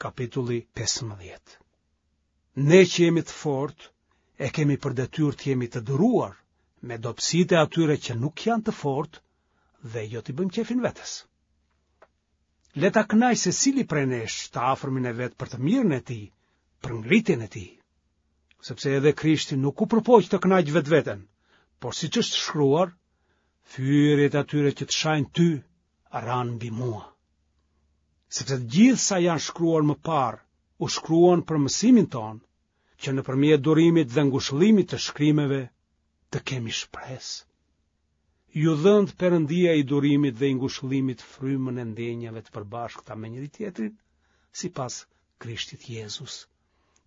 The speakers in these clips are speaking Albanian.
Kapitulli 15. Ne që jemi të fortë, e kemi për detyrë të jemi të duruar me dobësitë e atyre që nuk janë të fortë dhe jo t'i bëjmë qejfin vetes. Le ta kënaqë secili prej nesh të afërmin e vet për të mirën e tij, për ngritjen e tij. Sepse edhe Krishti nuk u përpoq të kënaqë vetveten, por siç është shkruar, fyerjet e atyre që të shajnë ty ranë mbi mua. Sepse të gjithë sa janë shkruar më parë, u shkruan për mësimin tonë, që nëpërmjet durimit dhe ngushëllimit të shkrimeve të kemi shpresë. Ju dhëntë Perëndia i durimit dhe i ngushëllimit frymën e ndjenjave të përbashkëta me njëri-tjetrin, sipas Krishtit Jezus,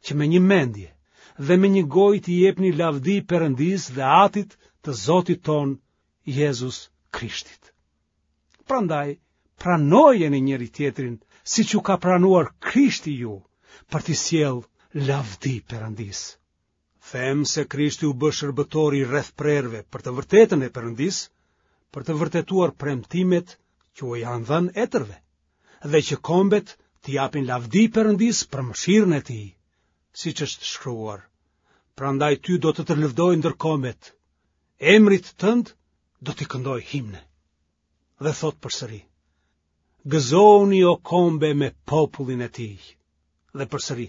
që me një mendje dhe me një gojë t'i jepni lavdi Perëndisë dhe Atit të Zotit tonë Jezus Krishtit. Prandaj, pranojeni njëri-tjetrin siç ju ka pranuar Krishti ju për t'i sjellë lavdi Perëndisë. Them se Krishti u bë shërbëtor i rrethprerëve për të vërtetën e Perëndisë, për të vërtetuar premtimet që u janë dhënë etërve, dhe që kombet t'i japin lavdi Perëndisë për mëshirën e tij, siç është shkruar. Prandaj ty do të të lëvdoj ndër kombet, emrit tënd do t'i këndoj himne. Dhe thotë përsëri, gëzohuni o kombe me popullin e tij. Dhe përsëri,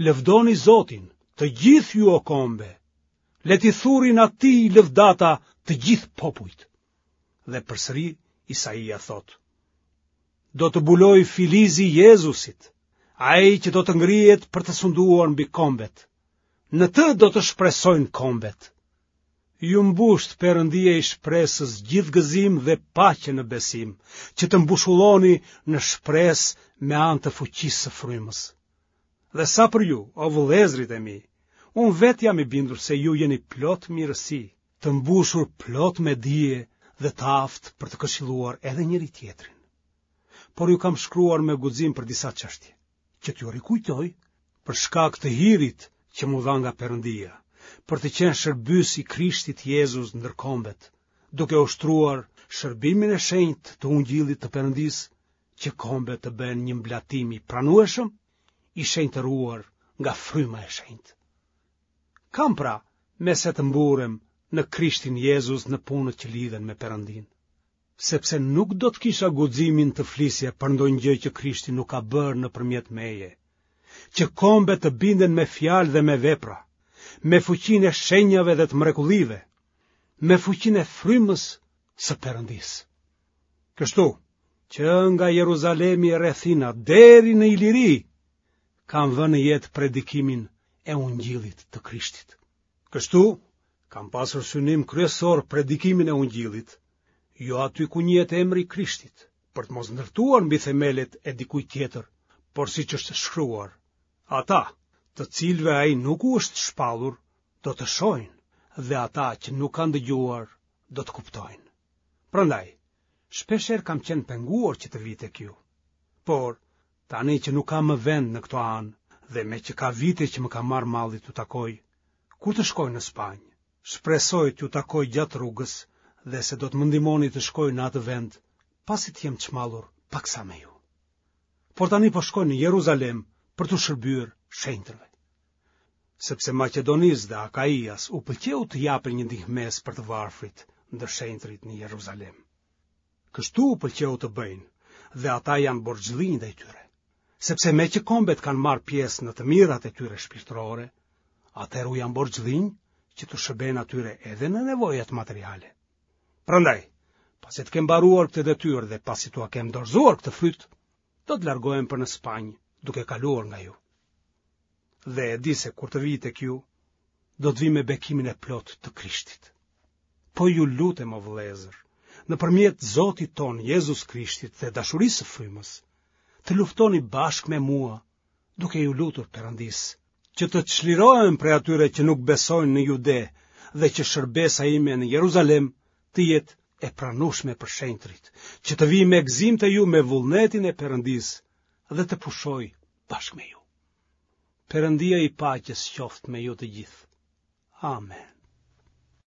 lëvdoni Zotin, të gjithë ju o kombe, le t'i thurin atij lëvdata të gjithë popujt. Dhe përsëri Isaia thotë, do të bulojë filizi i Jezusit, ai që do të ngrihet për të sunduar mbi kombet. Në të do të shpresojnë kombet. Ju mbushtë Perëndia i shpresës gjithë gëzim dhe paqe në besim, që të mbushulloni në shpresë me anë të fuqisë së frymës. Dhe sa për ju, o vëllezërit e mi, unë vetë jam i bindur se ju jeni plot mirësi, të mbushur plot me dije dhe të aftë për të këshilluar edhe njëri-tjetrin. Por ju kam shkruar me guxim për disa çështje. që t'ju rikujtoj për shkak të hirit që m'u dha nga Perëndia, për të qenë shërbyes i Krishtit Jezus ndër kombet, duke ushtruar shërbimin e shenjtë të ungjillit të Perëndisë, që kombet të bëhen një mblatim i pranueshëm, i shenjtëruar nga fryma e shenjtë. Kam pra, me se të mburrem në Krishtin Jezus në punët që lidhen me Perëndinë. sepse nuk do të kisha guximin të flisja për ndonjë gjë që Krishti nuk ka bërë nëpërmjet meje, që kombet të binden me fjalë dhe me vepra, me fuqinë e shenjave dhe të mrekullive, me fuqinë e frymës së Perëndisë. Kështu, që nga Jeruzalemi e rrethina deri në Iliri, kam vënë në jetë predikimin e ungjillit të Krishtit. Kështu, kam pasur synim kryesor predikimin e ungjillit, jo aty ku njihet emri i Krishtit, për të mos ndërtuar mbi themelet e dikujt tjetër, por siç është shkruar, ata, të cilëve ai nuk u është shpallur, do të shohin dhe ata që nuk kanë dëgjuar do të kuptojnë. Prandaj, shpeshherë kam qenë penguar që të vij tek ju. Por, tani që nuk kam më vend në këto anë dhe meqë ka vite që më ka marrë malli t'ju takoj, kur të shkoj në Spanjë, shpresoj t'ju takoj gjatë rrugës dhe se do të më ndihmoni të shkoj në atë vend, pasi të jem çmallur paksa me ju. Por tani po shkoj në Jeruzalem për t'u shërbyer shenjtërve. Sepse Maqedonisë dhe Akaias u pëlqeu të japin një ndihmesë për të varfrit ndër shenjtërit në Jeruzalem. Kështu u pëlqeu të bëjnë dhe ata janë borxhlinj ndaj tyre. Sepse meqë kombet kanë marrë pjesë në të mirat e tyre shpirtërore, atëherë u janë borxhlinj që t'u shërbejnë atyre edhe në nevojat materiale. Prandaj, pasi të kem mbaruar këtë detyrë dhe pasi t'ua kem dorëzuar këtë fryt, do të largohem për në Spanjë, duke kaluar nga ju. Dhe e di se kur të vij tek ju, do të vij me bekimin e plotë të Krishtit. Po ju lutem o vëllezër, nëpërmjet Zotit tonë Jezus Krishtit dhe dashurisë së frymës, të luftoni bashkë me mua, duke iu lutur Perëndisë, që të çlirohem prej atyre që nuk besojnë në Jude dhe që shërbesa ime në Jeruzalem të jetë e pranueshme për shenjtërit, që të vij me gëzim te ju me vullnetin e Perëndisë dhe të pushoj bashkë me ju. Perëndia i paqes qoftë me ju të gjithë. Amen.